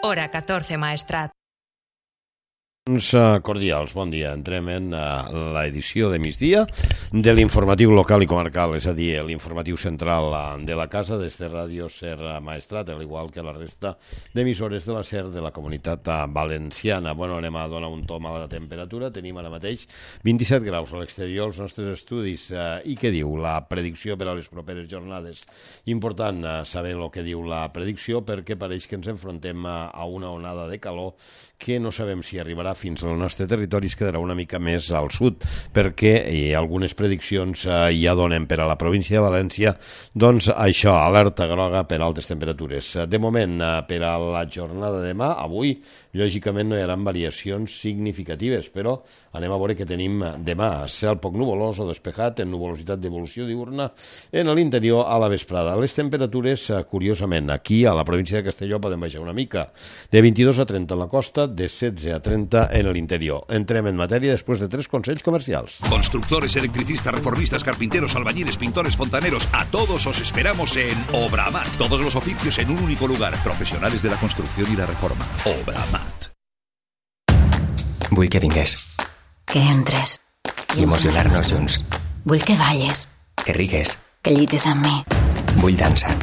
Hora 14 Maestrat. Cordials, bon dia. Entrem en l'edició de migdia de l'informatiu local i comarcal, és a dir, l'informatiu central de la casa des de Ràdio Ser Maestrat, al igual que la resta d'emissores de la Ser de la comunitat valenciana. Bueno, anem a donar un tom a la temperatura. Tenim ara mateix 27 graus a l'exterior als nostres estudis. I què diu la predicció per a les properes jornades? Important saber el que diu la predicció, perquè pareix que ens enfrontem a una onada de calor que no sabem si arribarà fins al nostre territori, es quedarà una mica més al sud, perquè algunes prediccions ja donen per a la província de València, doncs això, alerta groga per altes temperatures. De moment, per a la jornada de demà, avui, lògicament no hi haurà variacions significatives, però anem a veure què tenim demà. Cel poc nuvolós o despejat, en nuvolositat d'evolució diurna, en l'interior a la vesprada. Les temperatures, curiosament, aquí a la província de Castelló poden baixar una mica, de 22 a 30 en la costa, de 16 a 30 en l'interior. Entrem en matèria després de 3 consells comercials. Constructores, electricistas, reformistas, carpinteros, albañiles, pintores, fontaneros, a todos os esperamos en Obramat. Todos los oficios en un único lugar. Profesionales de la construcción y la reforma. Obramat. Vull que vingués. Que entres. I emocionar-nos junts. Vull que balles. Que rigues. Que llitges amb mi. Vull dansa.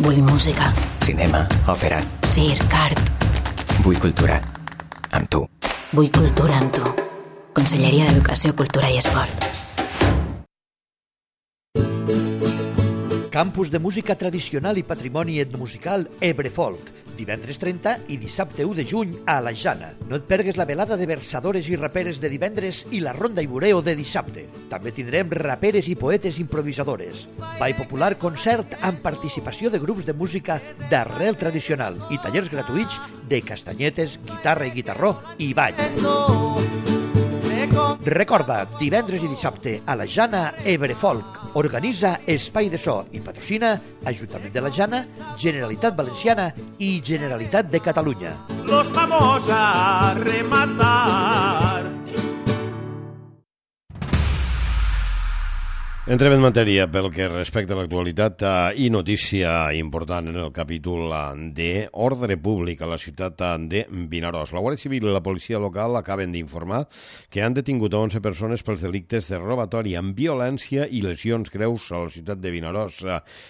Vull música. Cinema, òpera. Circ, art. Vull cultura. Amb tu. Vull cultura amb tu. Conselleria d'Educació, Cultura i Esport. Campus de Música Tradicional i Patrimoni Etnomusical Ebrefolk, divendres 30 i dissabte 1 de juny a la Jana. No et pergues la velada de versadores i raperes de divendres i la ronda i bureo de dissabte. També tindrem raperes i poetes improvisadores. Ball popular concert amb participació de grups de música d'arrel tradicional i tallers gratuïts de castanyetes, guitarra i guitarró i ball. Recorda, divendres i dissabte a la Jana Ebrefolk. Organitza Espai de So i patrocina Ajuntament de la Jana, Generalitat Valenciana i Generalitat de Catalunya. Los vamos a rematar. Entrem en matèria pel que respecta a l'actualitat i notícia important en el capítol d'ordre públic a la ciutat de Vinaròs. La Guàrdia Civil i la policia local acaben d'informar que han detingut 11 persones pels delictes de robatori amb violència i lesions greus a la ciutat de Vinaròs.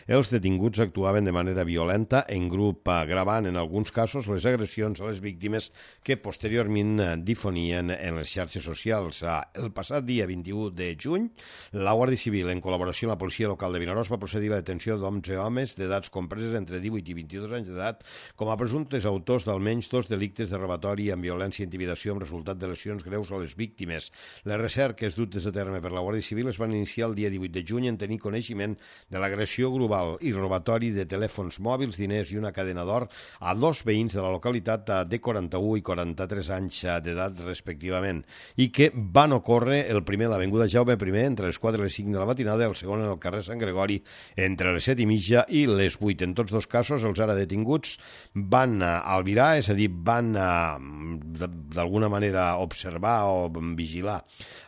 Els detinguts actuaven de manera violenta en grup, gravant en alguns casos les agressions a les víctimes que posteriorment difonien en les xarxes socials. El passat dia 21 de juny, la Guàrdia Civil, en col·laboració amb la policia local de Vinaròs, va procedir a la detenció d'11 homes d'edats compreses entre 18 i 22 anys d'edat com a presumptes autors d'almenys 2 delictes de robatori amb violència i intimidació amb resultat de lesions greus a les víctimes. Les recerques dutes a terme per la Guàrdia Civil es van iniciar el dia 18 de juny en tenir coneixement de l'agressió grupal i robatori de telèfons mòbils, diners i una cadena d'or a 2 veïns de la localitat de 41 i 43 anys d'edat respectivament, i que van ocórrer el primer a l'avinguda Jaume I entre les 4 i les 5 de la matinada, el segon en el carrer Sant Gregori entre les 7 i mitja i les 8. En tots dos casos, els ara detinguts van albirar, és a dir, van d'alguna manera observar o vigilar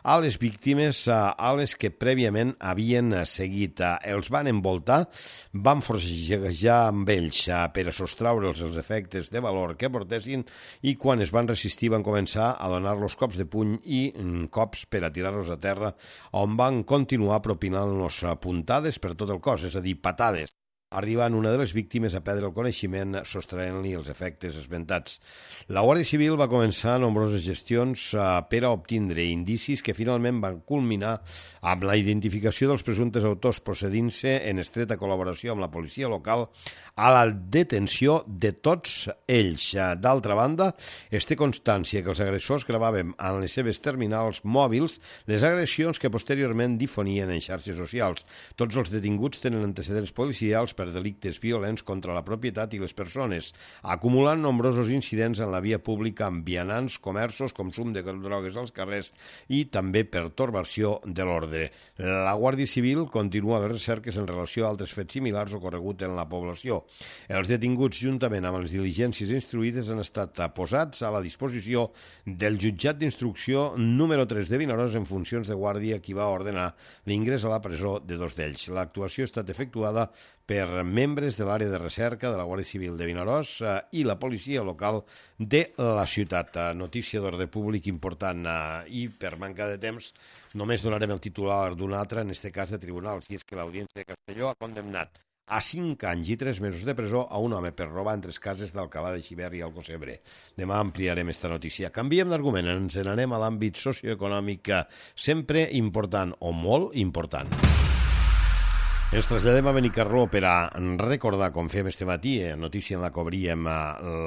a les víctimes a les que prèviament havien seguit. Els van envoltar, van forcejar amb ells per a sostraure'ls els efectes de valor que portessin i quan es van resistir van començar a donar-los cops de puny i cops per a tirar-los a terra, on van continuar propinant-los puntades per tot el cos, és a dir, patades, arribant una de les víctimes a perdre el coneixement sostraient-li els efectes esmentats. La Guàrdia Civil va començar nombroses gestions per a obtindre indicis que finalment van culminar amb la identificació dels presumptes autors, procedint-se en estreta col·laboració amb la policia local a la detenció de tots ells. D'altra banda, es té constància que els agressors gravaven en les seves terminals mòbils les agressions que posteriorment difonien en xarxes socials. Tots els detinguts tenen antecedents policials per delictes violents contra la propietat i les persones, acumulant nombrosos incidents en la via pública amb vianants, comerços, consum de drogues als carrers i també pertorbació de l'ordre. La Guàrdia Civil continua les recerques en relació a altres fets similars ocorreguts en la població. Els detinguts, juntament amb les diligències instruïdes, han estat posats a la disposició del jutjat d'instrucció número 3 de Vinaròs en funcions de guàrdia, qui va ordenar l'ingrés a la presó de 2 d'ells. L'actuació ha estat efectuada per membres de l'àrea de recerca de la Guàrdia Civil de Vinaròs i la policia local de la ciutat. Notícia d'ordre públic important i per manca de temps només donarem el titular d'un altre, en aquest cas de tribunal, si és que l'Audiència de Castelló ha condemnat a 5 anys i 3 mesos de presó a un home per robar en 3 cases d'Alcalà de Xivert i Alcossebre. Demà ampliarem esta notícia. Canviem d'argument, ens n'anem a l'àmbit socioeconòmic, sempre important o molt important. Ens traslladem a Benicarló per a recordar, com fem este matí, notícia en la que obríem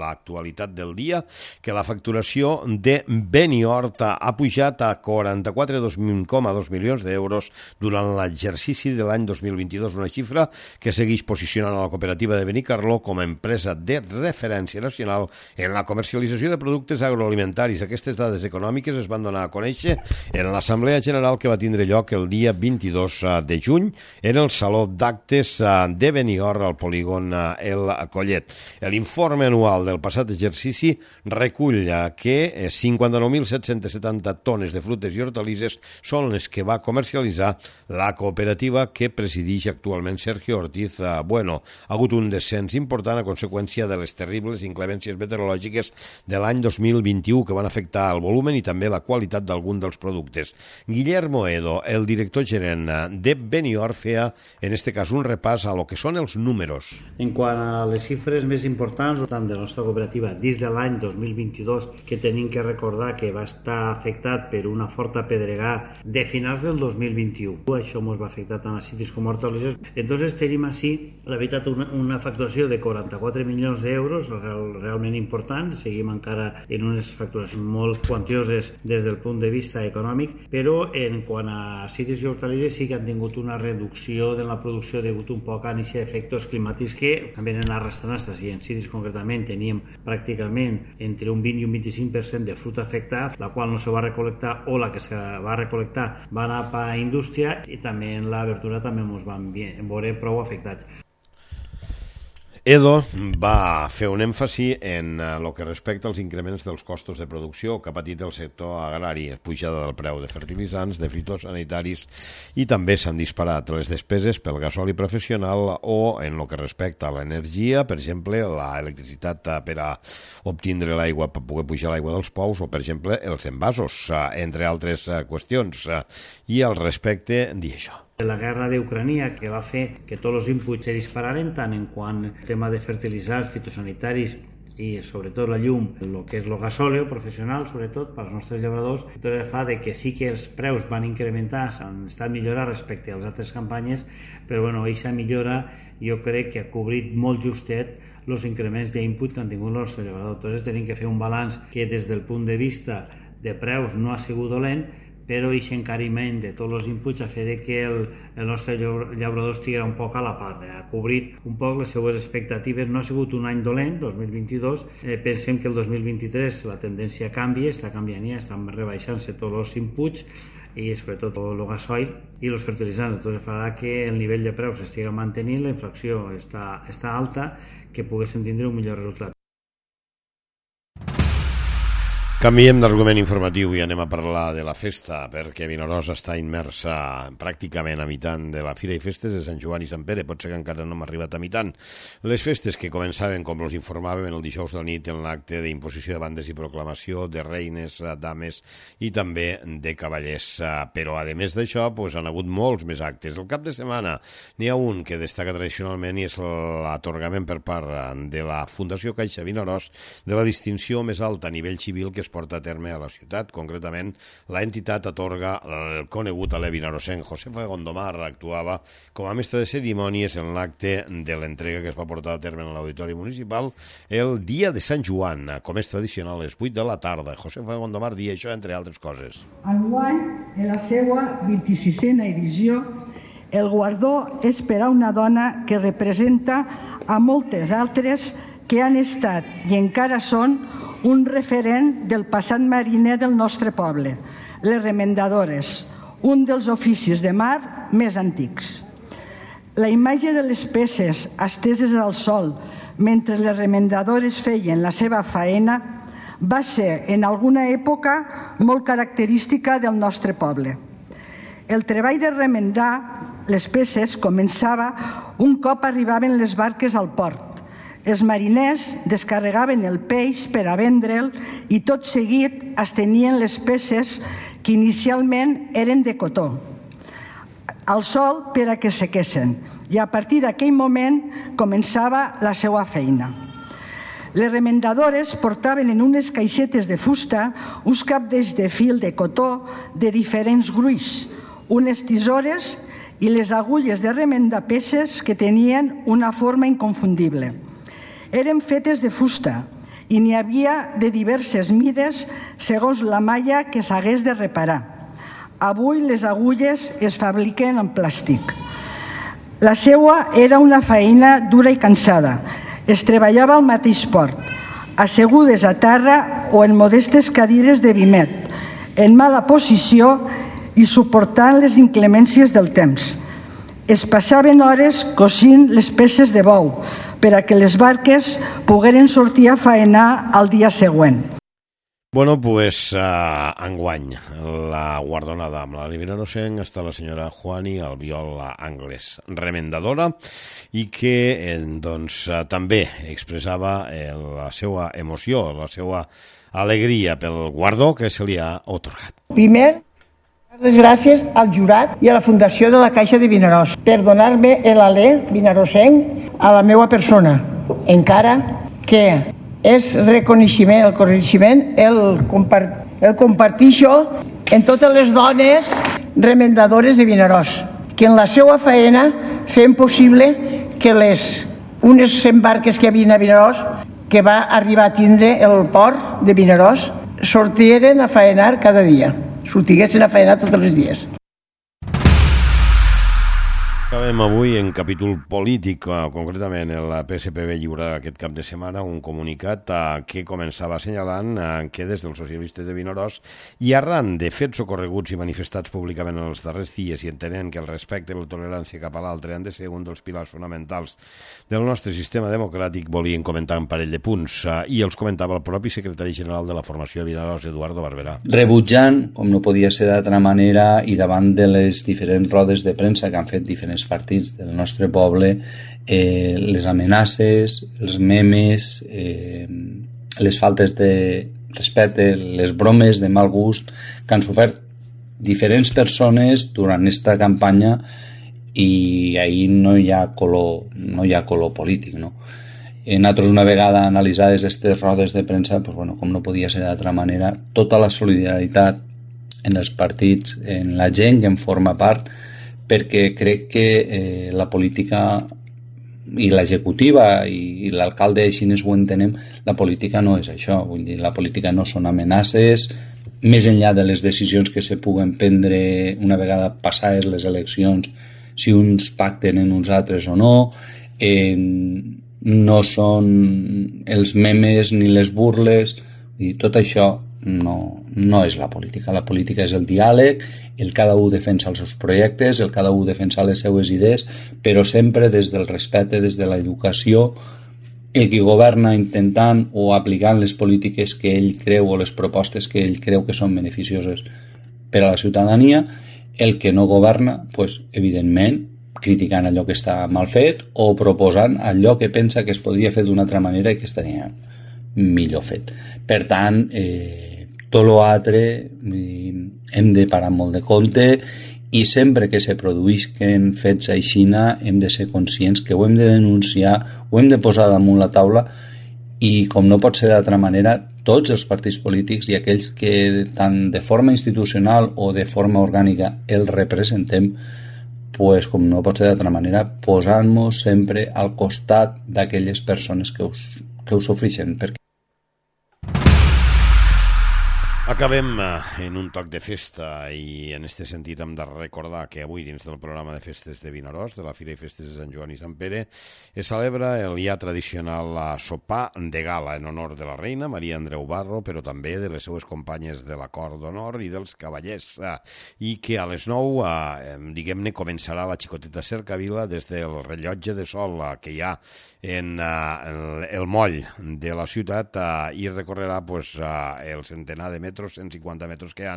l'actualitat del dia, que la facturació de Beniort ha pujat a 44,2 milions d'euros durant l'exercici de l'any 2022, una xifra que segueix posicionant a la cooperativa de Benicarló com a empresa de referència nacional en la comercialització de productes agroalimentaris. Aquestes dades econòmiques es van donar a conèixer en l'Assemblea General que va tindre lloc el dia 22 de juny en el Saló d'actes de Beniort al polígon El Collet. L'informe anual del passat exercici recull que 59.770 tones de frutes i hortalisses són les que va comercialitzar la cooperativa que presideix actualment Sergio Ortiz Bueno. Ha hagut un descens important a conseqüència de les terribles inclemències meteorològiques de l'any 2021 que van afectar el volumen i també la qualitat d'algun dels productes. Guillermo Edo, el director gerent de Beniort, feia en este cas un repàs a lo que són els números. En quant a les xifres més importants, tant de la nostra cooperativa dins de l'any 2022, que tenim que recordar que va estar afectat per una forta pedregada de finals del 2021. Això ens va afectar tant a citis com a hortalisses. Entonces tenim així, la veritat, una facturació de 44 milions d'euros, realment important. Seguim encara en unes facturacions molt quantioses des del punt de vista econòmic, però en quant a citis i hortalisses sí que han tingut una reducció de la producció degut un poc a aquests efectes climàtics que venen arrastrant estas. I en citis concretament teníem pràcticament entre un 20 i un 25% de fruita afectada, la qual no se va recolectar o la que se va recolectar va anar a indústria, i també en la verdura també ens van veure prou afectats. Edo va fer un èmfasi en el que respecta als increments dels costos de producció que ha patit el sector agrari, pujada del preu de fertilitzants, de fitosanitaris, i també s'han disparat les despeses pel gasoli professional o en el que respecta a l'energia, per exemple, l'electricitat per a obtindre l'aigua, per poder pujar l'aigua dels pous, o per exemple els envasos, entre altres qüestions. I al respecte, dir això. La guerra d'Ucrània, que va fer que tots els inputs se dispararen, tant en quant al tema de fertilitzants, fitosanitaris i sobretot la llum, el que és el gasòleo professional, sobretot per als nostres llauradors, tot fa de que sí que els preus van incrementar, han estat millorats respecte a les altres campanyes, però aquesta millora jo crec que ha cobrit molt justet els increments d'input que han tingut els nostres llauradors. Entonces tenim que fer un balanç que des del punt de vista de preus no ha sigut dolent, però aquest encariment de tots els inputs ha fet que el nostre llaurador estigui un poc a la part, ha cobrit un poc les seues expectatives. No ha sigut un any dolent, 2022, pensem que el 2023 la tendència canvia, està canviant ja, estan rebaixant-se tots els inputs i sobretot el gasoil i els fertilitzants. Entonces farà que el nivell de preus estigui mantenint, la inflació està alta, que poguéssim tindre un millor resultat. Canviem d'argument informatiu i anem a parlar de la festa, perquè Vinaròs està immersa pràcticament a mitant de la Fira i Festes de Sant Joan i Sant Pere. Pot ser que encara no hem arribat a mitant. Les festes que començaven, com us informàvem, el dijous de la nit en l'acte d'imposició de bandes i proclamació de reines, dames i també de cavallers. Però, a més d'això, han hagut molts més actes. El cap de setmana n'hi ha un que destaca tradicionalment i és l'atorgament per part de la Fundació Caixa Vinaròs de la distinció més alta a nivell civil que es porta a terme a la ciutat. Concretament, l'entitat atorga el conegut alè vinarosenc Josefa Gondomar actuava com a mestre de cerimònies en l'acte de l'entrega que es va portar a terme en l'Auditori Municipal el dia de Sant Joan, com és tradicional, a les 8 de la tarda. Josefa Gondomar dia això, entre altres coses. Enguany, en la seva 26a edició, el guardó és per a una dona que representa a moltes altres que han estat i encara són un referent del passat mariner del nostre poble, les remendadores, un dels oficis de mar més antics. La imatge de les peces esteses al sol mentre les remendadores feien la seva faena va ser en alguna època molt característica del nostre poble. El treball de remendar les peces començava un cop arribaven les barques al port. Els mariners descarregaven el peix per a vendre'l i tot seguit es tenien les peces que inicialment eren de cotó al sol per a que sequessin, i a partir d'aquell moment començava la seva feina. Les remendadores portaven en unes caixetes de fusta uns capdells de fil de cotó de diferents gruix, unes tisores i les agulles de remendar peces que tenien una forma inconfundible. Eren fetes de fusta i n'hi havia de diverses mides segons la malla que s'hagués de reparar. Avui les agulles es fabriquen en plàstic. La seua era una feina dura i cansada. Es treballava al mateix port, assegudes a terra o en modestes cadires de vimet, en mala posició i suportant les inclemències del temps. Es passaven hores cosint les peces de bou per a que les barques pogueren sortir a faenar al dia següent. Bueno, pues enguany la guardonada amb la Vinaròs està la senyora Juani Albiol Anglès, remendadora, i que també expressava la seva emoció, la seva alegria pel guardó que se li ha atorgat. Primer, les gràcies al jurat i a la Fundació de la Caixa de Vinaròs per donar-me l'alè vinaròsenc a la meva persona, encara que és reconeixement, el coneixement, el comparteixo en totes les dones remendadores de Vinaròs, que en la seva feina fem possible que unes 100 barques que hi havia a Vinaròs, que va arribar a tindre el port de Vinaròs, sortiren a faenar cada dia, sortiguessin a faenar tots els dies. Acabem avui en capítol polític, concretament el PSPB lliurarà aquest cap de setmana un comunicat que començava assenyalant que des dels socialistes de Vinaròs i arran de fets ocorreguts i manifestats públicament en els darrers dies i entenent que el respecte i la tolerància cap a l'altre han de ser un dels pilars fonamentals del nostre sistema democràtic, volien comentar un parell de punts i els comentava el propi secretari general de la formació de Vinaròs, Eduardo Barberà. Rebutjant, com no podia ser d'altra manera, i davant de les diferents rodes de premsa que han fet diferents partits del nostre poble, les amenaces, els memes, les faltes de respecte, les bromes de mal gust que han sofert diferents persones durant aquesta campanya, i ahir no hi ha color polític, no? Nosaltres, una vegada analitzades aquestes rodes de premsa, pues bueno, com no podia ser d'altra manera, tota la solidaritat en els partits, en la gent que en forma part, perquè crec que la política i l'executiva i l'alcalde així ho entenem, la política no és això, vull dir, la política no són amenaces, més enllà de les decisions que se puguen prendre una vegada passades les eleccions, si uns pacten en uns altres o no, no són els memes ni les burles, i tot això no és la política. La política és el diàleg, el cada un defensa els seus projectes, el cada un defensa les seues idees, però sempre des del respecte, des de l'educació, el que governa intentant o aplicant les polítiques que ell creu o les propostes que ell creu que són beneficioses per a la ciutadania, el que no governa, pues, evidentment, criticant allò que està mal fet o proposant allò que pensa que es podria fer d'una altra manera i que estaria millor fet. Per tant, tot l'altre hem de parar molt de compte, i sempre que se produïsquen fets aixina hem de ser conscients que ho hem de denunciar, ho hem de posar damunt la taula, i com no pot ser d'altra manera, tots els partits polítics i aquells que tant de forma institucional o de forma orgànica els representem, pues, com no pot ser d'altra manera, posant-nos sempre al costat d'aquelles persones que ho sofreixen. Acabem en un toc de festa, i en aquest sentit hem de recordar que avui dins del programa de festes de Vinaròs, de la Fira i Festes de Sant Joan i Sant Pere, es celebra el ja tradicional sopar de gala en honor de la reina Maria Andreu Barro, però també de les seues companyes de la cort d'honor i dels cavallers, i que a les 9, diguem-ne, començarà la xicoteta cercavila des del rellotge de sol que hi ha en el moll de la ciutat, i recorrerà el centenar de metres metres, 150 metres que hi ha,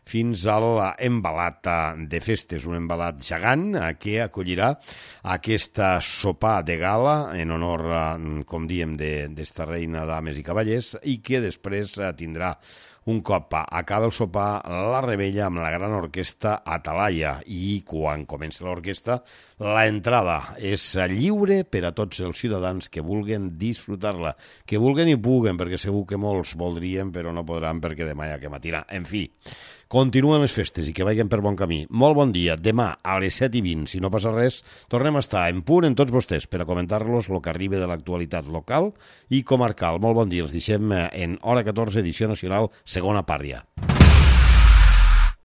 fins a l'embalat de festes, un embalat gegant que acollirà aquesta sopar de gala en honor, com diem, d'esta reina, dames i cavallers, i que després tindrà un cop acaba el sopar, la rebella amb la gran orquestra Atalaia, i quan comença l'orquestra, la entrada és lliure per a tots els ciutadans que vulguen disfrutar-la, que vulguen i puguen, perquè segur que molts voldrien, però no podran perquè demà hi ha que matinar. En fi, continuen les festes i que vagin per bon camí. Molt bon dia. Demà a les 7:20, si no passa res, tornem a estar en punt en tots vostès per a comentar-los el que arriba de l'actualitat local i comarcal. Molt bon dia. Els deixem en Hora 14, edició nacional, segona pàrria.